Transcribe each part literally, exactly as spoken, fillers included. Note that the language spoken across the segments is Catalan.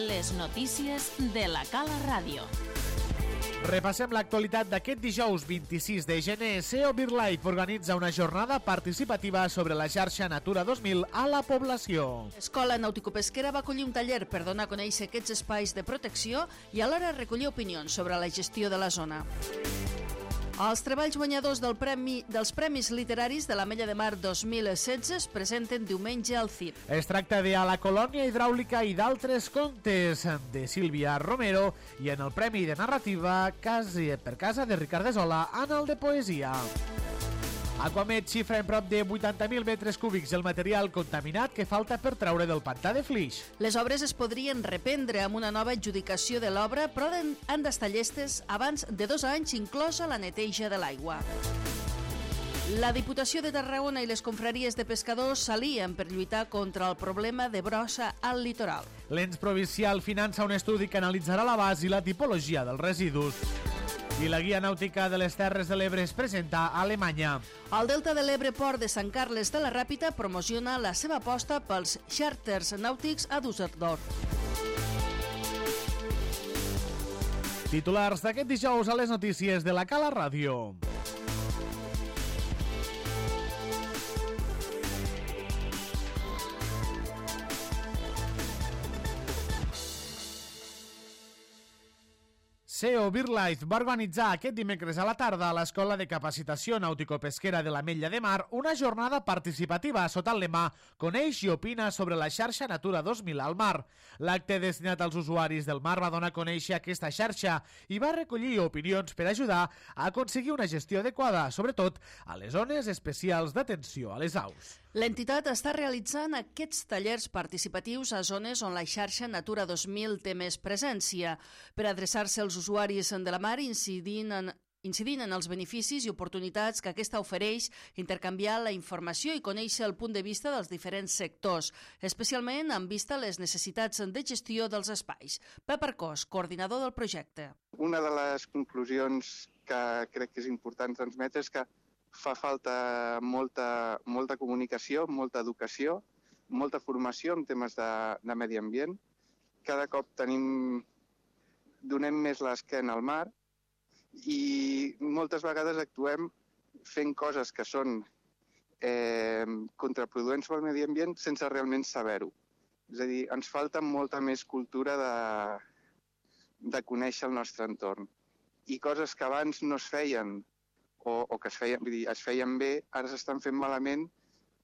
Les notícies de la Cala Ràdio. Repassem l'actualitat d'aquest dijous vint-i-sis de gener. S E O BirdLife organitza una jornada participativa sobre la xarxa Natura dos mil a la població. L'Escola Nàutico-Pesquera va acollir un taller per donar a conèixer aquests espais de protecció i alhora recollir opinions sobre la gestió de la zona. Els treballs guanyadors del premi, dels Premis Literaris de l'Ametlla de Mar dos mil setze es presenten diumenge al C I P. Es tracta de A la colònia hidràulica i d'altres contes, de Sílvia Romero, i en el Premi de Narrativa Casi per casa de Ricard Desola en el de Poesia. Aquamed xifra en prop de vuitanta mil metres cúbics el material contaminat que falta per treure del pantà de Flix. Les obres es podrien reprendre amb una nova adjudicació de l'obra, però han d'estar llestes abans de dos anys, inclosa la neteja de l'aigua. La Diputació de Tarragona i les confraries de pescadors s'alien per lluitar contra el problema de brossa al litoral. L'ens provincial finança un estudi que analitzarà l'abast i la tipologia dels residus. I la guia nàutica de les Terres de l'Ebre es presenta a Alemanya. El Delta de l'Ebre Port de Sant Carles de la Ràpita promociona la seva aposta pels xàrters nàutics a Düsseldorf. Titulars d'aquest dijous a les notícies de la Cala Ràdio. S E O BirdLife va organitzar aquest dimecres a la tarda a l'Escola de Capacitació Nàutico-Pesquera de l'Ametlla de Mar una jornada participativa sota el lema Coneix i opina sobre la xarxa Natura dos mil al mar. L'acte destinat als usuaris del mar va donar a conèixer aquesta xarxa i va recollir opinions per ajudar a aconseguir una gestió adequada, sobretot a les zones especials d'atenció a les aus. L'entitat està realitzant aquests tallers participatius a zones on la xarxa Natura dos mil té més presència, per adreçar-se als usuaris de la mar incidint en, incidint en els beneficis i oportunitats que aquesta ofereix, intercanviar la informació i conèixer el punt de vista dels diferents sectors, especialment en vista a les necessitats de gestió dels espais. Pep Arcós, coordinador del projecte. Una de les conclusions que crec que és important transmetre és que fa falta molta, molta comunicació, molta educació, molta formació en temes de, de medi ambient. Cada cop tenim, donem més l'esquena al mar i moltes vegades actuem fent coses que són eh, contraproduents pel medi ambient sense realment saber-ho. És a dir, ens falta molta més cultura de, de conèixer el nostre entorn. I coses que abans no es feien o, o que es feien, vull dir, es feien bé, ara s'estan fent malament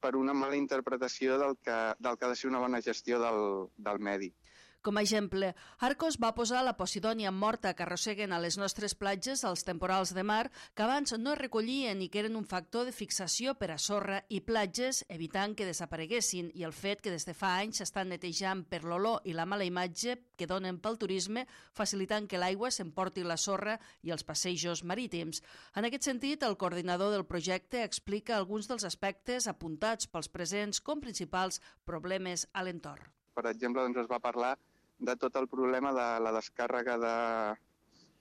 per una mala interpretació del que, del que ha de ser una bona gestió del, del medi. Com a exemple, Arcos va posar la posidònia morta que arrosseguen a les nostres platges els temporals de mar que abans no es recollien i que eren un factor de fixació per a sorra i platges, evitant que desapareguessin, i el fet que des de fa anys s'estan netejant per l'olor i la mala imatge que donen pel turisme, facilitant que l'aigua s'emporti la sorra i els passejos marítims. En aquest sentit, el coordinador del projecte explica alguns dels aspectes apuntats pels presents com principals problemes a l'entorn. Per exemple, doncs es va parlar de tot el problema de la descàrrega de,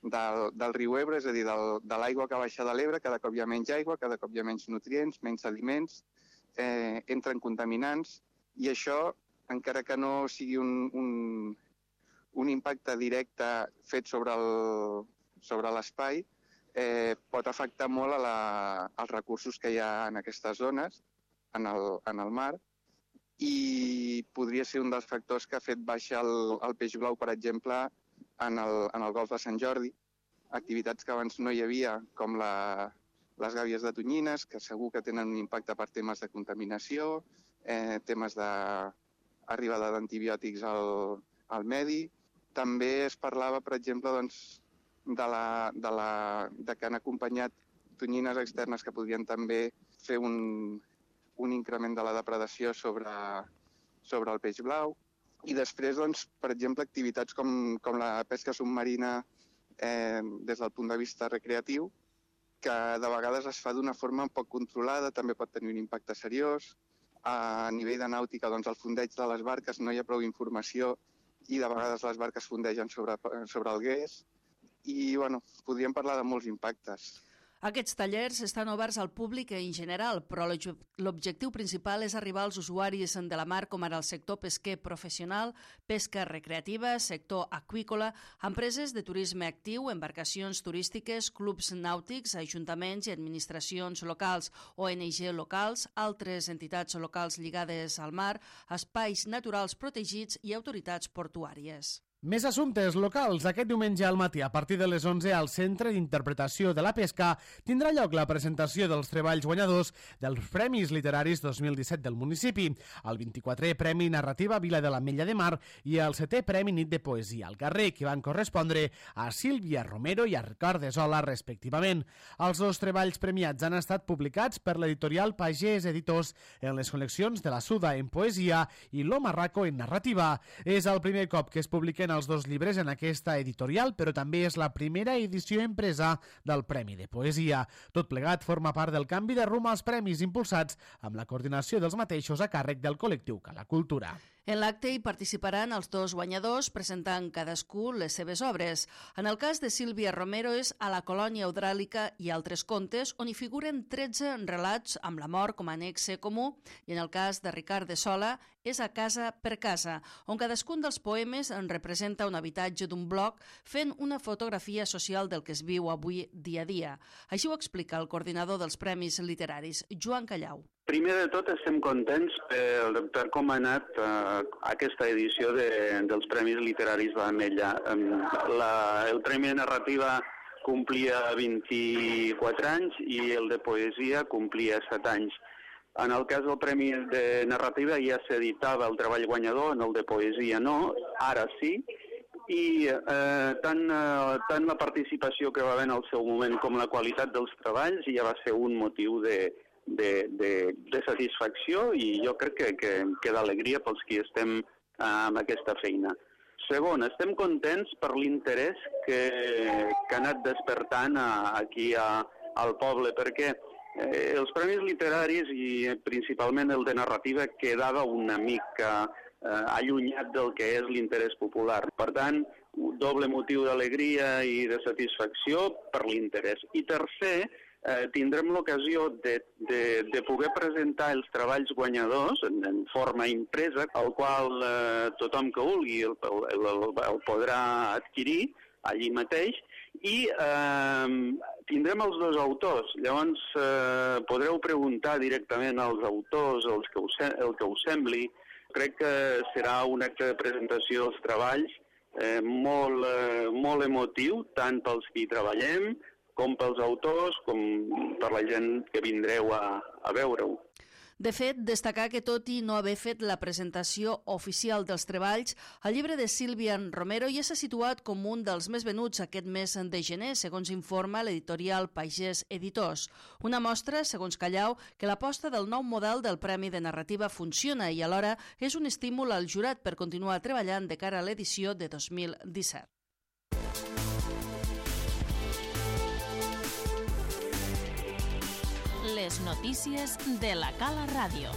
del, del riu Ebre, és a dir, del, de l'aigua que baixa de l'Ebre, cada cop hi ha menys aigua, cada cop hi ha menys nutrients, menys aliments, eh, entren contaminants, i això, encara que no sigui un, un, un impacte directe fet sobre el, sobre l'espai, eh, pot afectar molt a la, als recursos que hi ha en aquestes zones, en el, en el mar, i podria ser un dels factors que ha fet baixar el, el peix blau, per exemple, en el, en el golf de Sant Jordi. Activitats que abans no hi havia, com la, les gàbies de tonyines, que segur que tenen un impacte per temes de contaminació, eh, temes d'arribada d'antibiòtics al, al medi. També es parlava, per exemple, doncs, de, la, de, la, de que han acompanyat tonyines externes que podrien també fer un... un increment de la depredació sobre, sobre el peix blau. I després, doncs, per exemple, activitats com, com la pesca submarina eh, des del punt de vista recreatiu, que de vegades es fa d'una forma poc controlada, també pot tenir un impacte seriós. A nivell de nàutica, doncs, al fondeig de les barques no hi ha prou informació i de vegades les barques fondegen sobre, sobre el gués. I, bueno, podríem parlar de molts impactes. Aquests tallers estan oberts al públic en general, però l'objectiu principal és arribar als usuaris de la mar, com ara el sector pesquer professional, pesca recreativa, sector aqüícola, empreses de turisme actiu, embarcacions turístiques, clubs nàutics, ajuntaments i administracions locals, O N G locals, altres entitats locals lligades al mar, espais naturals protegits i autoritats portuàries. Més assumptes locals. Aquest diumenge al matí, a partir de les onze, al Centre d'Interpretació de la Pesca, tindrà lloc la presentació dels treballs guanyadors dels Premis Literaris dos mil disset del municipi, el vint-i-quatrè Premi Narrativa Vila de l'Ametlla de Mar i el setè Premi Nit de Poesia al Carrer, que van correspondre a Sílvia Romero i a Ricard de Sola, respectivament. Els dos treballs premiats han estat publicats per l'editorial Pagès Editors en les col·leccions de la Suda en poesia i Lo Marraco en narrativa. És el primer cop que es publiquen els dos llibres en aquesta editorial, però també és la primera edició impresa del Premi de Poesia. Tot plegat forma part del canvi de rumb als premis impulsats amb la coordinació dels mateixos a càrrec del col·lectiu Cala Cultura. En l'acte hi participaran els dos guanyadors presentant cadascú les seves obres. En el cas de Sílvia Romero és A la colònia hidràulica i altres contes, on hi figuren tretze relats amb la mort com a anexe comú, i en el cas de Ricard de Sola és A casa per casa, on cadascun dels poemes en representa un habitatge d'un bloc fent una fotografia social del que es viu avui dia a dia. Així ho explica el coordinador dels Premis Literaris, Joan Callau. Primer de tot estem contents per, per com ha anat uh, aquesta edició de, dels Premis Literaris de l'Ametlla. La, el Premi de Narrativa complia vint-i-quatre anys i el de Poesia complia set anys. En el cas del Premi de Narrativa ja s'editava el treball guanyador, en el de Poesia no, ara sí, i eh, tant, eh, tant la participació que va haver en el seu moment com la qualitat dels treballs ja va ser un motiu de De, de, de satisfacció i jo crec que, que, que d'alegria pels qui estem uh, amb aquesta feina. Segon, estem contents per l'interès que, que ha anat despertant a, aquí a, al poble, perquè eh, els premis literaris i principalment el de narrativa quedava una mica eh, allunyat del que és l'interès popular. Per tant, doble motiu d'alegria i de satisfacció per l'interès. I tercer, Eh, tindrem l'ocasió de, de, de poder presentar els treballs guanyadors en, en forma impresa, el qual eh, tothom que vulgui el, el, el, el podrà adquirir allí mateix, i eh, tindrem els dos autors. Llavors eh, podreu preguntar directament als autors els que us, el que us sembli. Crec que serà un acte de presentació dels treballs eh, molt, eh, molt emotiu, tant pels qui treballem, com pels autors, com per la gent que vindreu a, a veure-ho. De fet, destacar que tot i no haver fet la presentació oficial dels treballs, el llibre de Sílvia Romero ja s'ha situat com un dels més venuts aquest mes de gener, segons informa l'editorial Pagès Editors. Una mostra, segons Callau, que l'aposta del nou model del Premi de Narrativa funciona i alhora és un estímul al jurat per continuar treballant de cara a l'edició de dos mil disset. Les notícies de la Cala Ràdio.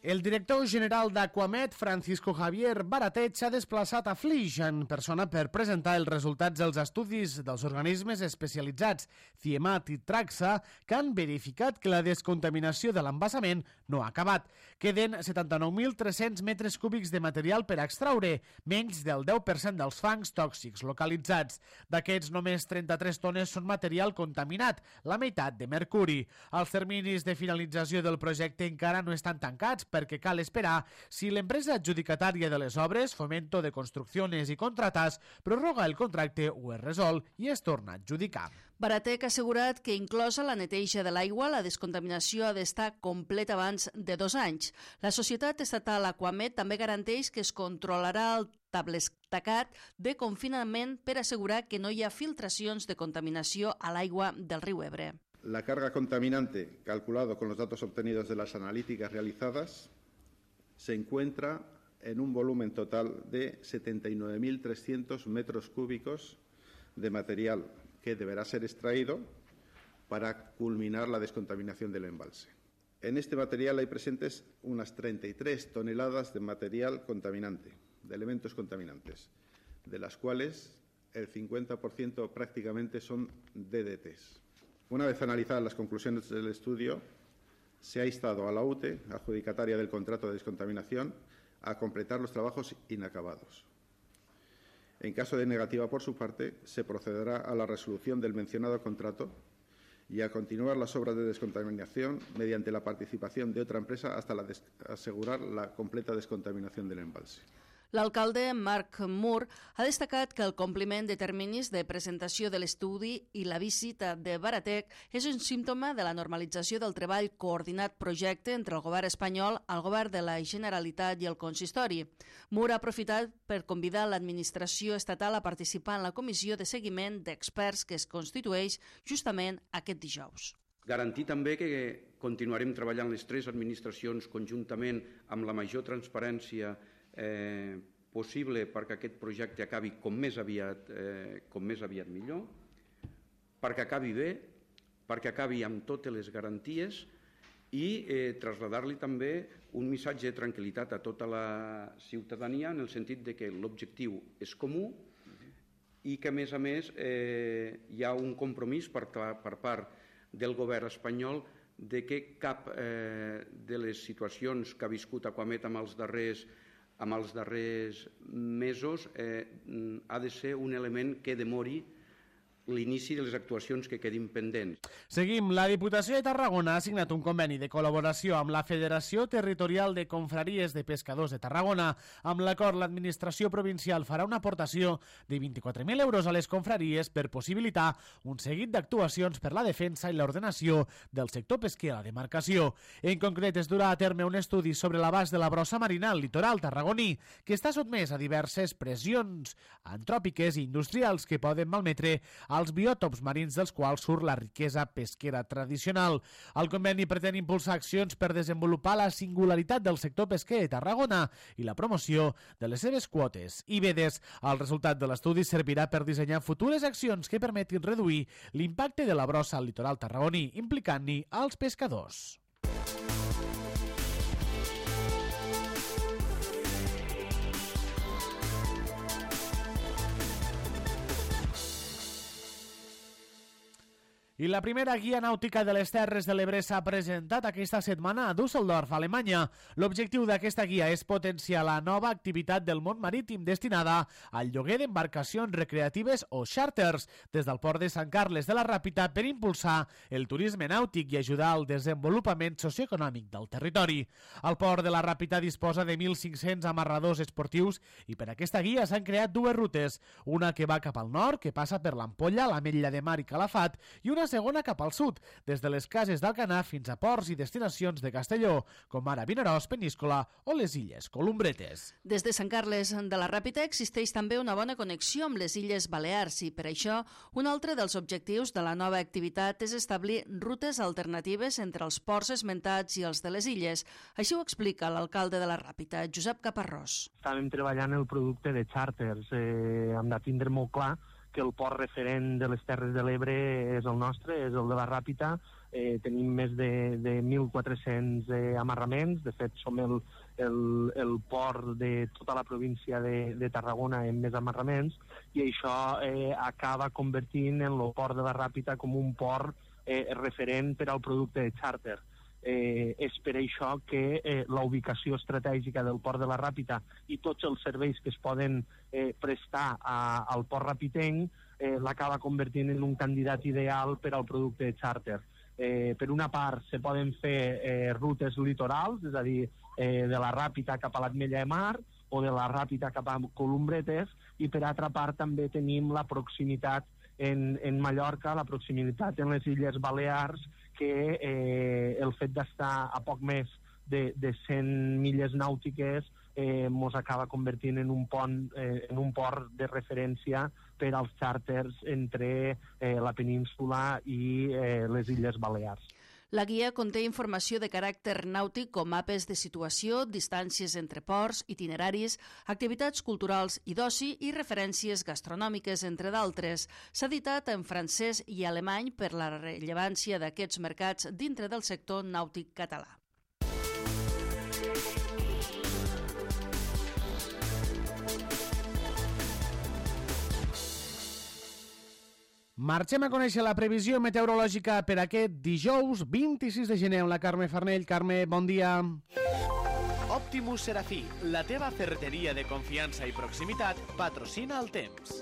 El director general d'Aquamed, Francisco Javier Baratet, s'ha desplaçat a Flix en persona per presentar els resultats dels estudis dels organismes especialitzats CIEMAT i TRAXA que han verificat que la descontaminació de l'embassament no ha acabat. Queden setanta-nou mil tres-cents metres cúbics de material per extraure, menys del deu per cent dels fangs tòxics localitzats. D'aquests, només trenta-tres tones són material contaminat, la meitat de mercuri. Els terminis de finalització del projecte encara no estan tancats, perquè cal esperar si l'empresa adjudicatària de les obres, Fomento de Construcciones i Contratas, prorroga el contracte o es resol i es torna a adjudicar. Baratec ha assegurat que, inclosa la neteja de l'aigua, la descontaminació ha d'estar completa abans de dos anys. La societat estatal Aquamed també garanteix que es controlarà el tablestacat de confinament per assegurar que no hi ha filtracions de contaminació a l'aigua del riu Ebre. La carga contaminante, calculado con los datos obtenidos de las analíticas realizadas, se encuentra en un volumen total de setenta y nueve mil trescientos metros cúbicos de material que deberá ser extraído para culminar la descontaminación del embalse. En este material hay presentes unas treinta y tres toneladas de material contaminante, de elementos contaminantes, de las cuales el cincuenta por ciento prácticamente son D D Ts. Una vez analizadas las conclusiones del estudio, se ha instado a la U T E, adjudicataria del contrato de descontaminación, a completar los trabajos inacabados. En caso de negativa por su parte, se procederá a la resolución del mencionado contrato y a continuar las obras de descontaminación mediante la participación de otra empresa hasta la asegurar la completa descontaminación del embalse. L'alcalde Marc Moore ha destacat que el compliment de terminis de presentació de l'estudi i la visita de Baratec és un símptoma de la normalització del treball coordinat projecte entre el govern espanyol, el govern de la Generalitat i el consistori. Moore ha aprofitat per convidar l'administració estatal a participar en la comissió de seguiment d'experts que es constitueix justament aquest dijous. Garantir també que continuarem treballant les tres administracions conjuntament amb la major transparència Eh, possible perquè aquest projecte acabi com més aviat, eh, com més aviat millor, perquè acabi bé, perquè acabi amb totes les garanties i eh, traslladar-li també un missatge de tranquil·litat a tota la ciutadania en el sentit de que l'objectiu és comú i que, a més a més, eh, hi ha un compromís per, per part del govern espanyol de que cap eh, de les situacions que ha viscut Aquamet amb els darrers amb els darrers mesos eh, ha de ser un element que demori l'inici de les actuacions que quedin pendents. Seguim. La Diputació de Tarragona ha signat un conveni de col·laboració amb la Federació Territorial de Confraries de Pescadors de Tarragona. Amb l'acord, l'administració provincial farà una aportació de vint-i-quatre mil euros a les confraries per possibilitar un seguit d'actuacions per la defensa i l'ordenació del sector pesquer a la demarcació. En concret, es durà a terme un estudi sobre l'abast de la brossa marina al litoral tarragoní, que està sotmès a diverses pressions antròpiques i industrials que poden malmetre als biòtops marins dels quals surt la riquesa pesquera tradicional. El conveni pretén impulsar accions per desenvolupar la singularitat del sector pesquer de Tarragona i la promoció de les seves quotes i vedes. El resultat de l'estudi servirà per dissenyar futures accions que permetin reduir l'impacte de la brossa al litoral tarragoní, implicant-hi als pescadors. I la primera guia nàutica de les Terres de l'Ebre s'ha presentat aquesta setmana a Düsseldorf, Alemanya. L'objectiu d'aquesta guia és potenciar la nova activitat del món marítim destinada al lloguer d'embarcacions recreatives o xàrters des del port de Sant Carles de la Ràpita per impulsar el turisme nàutic i ajudar al desenvolupament socioeconòmic del territori. El port de la Ràpita disposa de mil cinc-cents amarradors esportius i per aquesta guia s'han creat dues rutes, una que va cap al nord, que passa per l'Ampolla, l'Ametlla de Mar i Calafat, i una segona cap al sud, des de les cases d'Alcanar fins a ports i destinacions de Castelló, com ara Vinaròs, Peníscola o les Illes Columbretes. Des de Sant Carles de la Ràpita existeix també una bona connexió amb les Illes Balears i, per això, un altre dels objectius de la nova activitat és establir rutes alternatives entre els ports esmentats i els de les illes. Així ho explica l'alcalde de la Ràpita, Josep Caparrós. Estàvem treballant el producte de xàrters. Eh, hem de tindre molt clar que el port referent de les Terres de l'Ebre és el nostre, és el de la Ràpita. Eh, tenim més de, de mil quatre-cents eh, amarraments. De fet, som el, el, el port de tota la província de, de Tarragona amb més amarraments, i això eh, acaba convertint en el port de la Ràpita com un port eh, referent per al producte de xàrter. Eh, és per això que eh, la ubicació estratègica del port de la Ràpita i tots els serveis que es poden eh, prestar a, al port rapitenc eh, l'acaba convertint en un candidat ideal per al producte de xàrter. Eh, per una part, se poden fer eh, rutes litorals, és a dir, eh, de la Ràpita cap a l'Ametlla de Mar o de la Ràpita cap a Columbretes, i per altra part també tenim la proximitat en, en Mallorca, la proximitat en les Illes Balears, que eh, el fet d'estar a poc més de, de cent milles nàutiques eh, mos acaba convertint en un pont, eh, en un port de referència per als xàrters entre eh, la península i eh, les Illes Balears. La guia conté informació de caràcter nàutic com mapes de situació, distàncies entre ports, itineraris, activitats culturals i d'oci i referències gastronòmiques, entre d'altres. S'ha editat en francès i alemany per la rellevància d'aquests mercats dintre del sector nàutic català. Marxem a conèixer la previsió meteorològica per aquest dijous vint-i-sis de gener amb la Carme Farnell. Carme, bon dia. Optimus Serafí, la teva ferreteria de confiança i proximitat, patrocina el temps.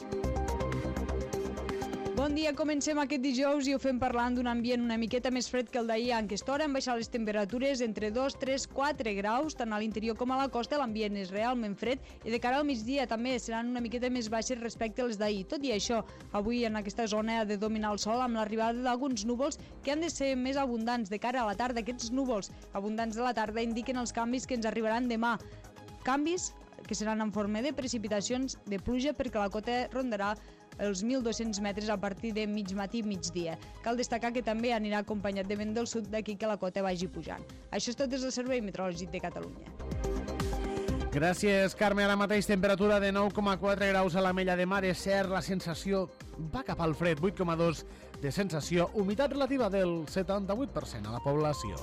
Bon dia, comencem aquest dijous i ho fem parlant d'un ambient una miqueta més fred que el d'ahir. En aquesta hora han baixat les temperatures entre dos, tres, quatre graus, tant a l'interior com a la costa. L'ambient és realment fred i de cara al migdia també seran una miqueta més baixes respecte als d'ahir. Tot i això, avui en aquesta zona ha de dominar el sol amb l'arribada d'alguns núvols que han de ser més abundants. De cara a la tarda, aquests núvols abundants de la tarda indiquen els canvis que ens arribaran demà. Canvis que seran en forma de precipitacions de pluja perquè la cota rondarà els mil dos-cents metres a partir de mig matí i migdia. Cal destacar que també anirà acompanyat de vent del sud, d'aquí que la cota vagi pujant. Això és tot des del Servei Meteorològic de Catalunya. Gràcies, Carme. Ara mateix temperatura de nou coma quatre graus a l'Ametlla de Mar. És cert, la sensació va cap al fred, vuit coma dos de sensació, humitat relativa del setanta-vuit per cent a la població.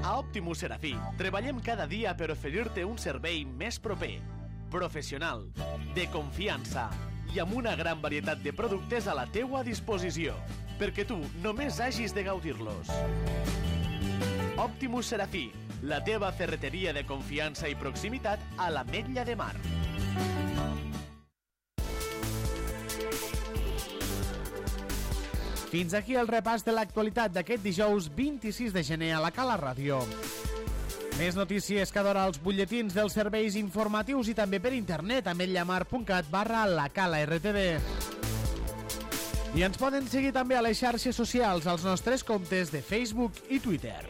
A Optimus Serafí treballem cada dia per oferir-te un servei més proper, professional, de confiança i amb una gran varietat de productes a la teua disposició, perquè tu només hagis de gaudir-los. Optimus Serafí, la teva ferreteria de confiança i proximitat a l'Ametlla de Mar. Fins aquí el repàs de l'actualitat d'aquest dijous vint-i-sis de gener a la Cala Ràdio. Més notícies cada hora als butlletins dels serveis informatius i també per internet a ametlla-mar punt cat barra la Cala R T V. I ens poden seguir també a les xarxes socials als nostres comptes de Facebook i Twitter.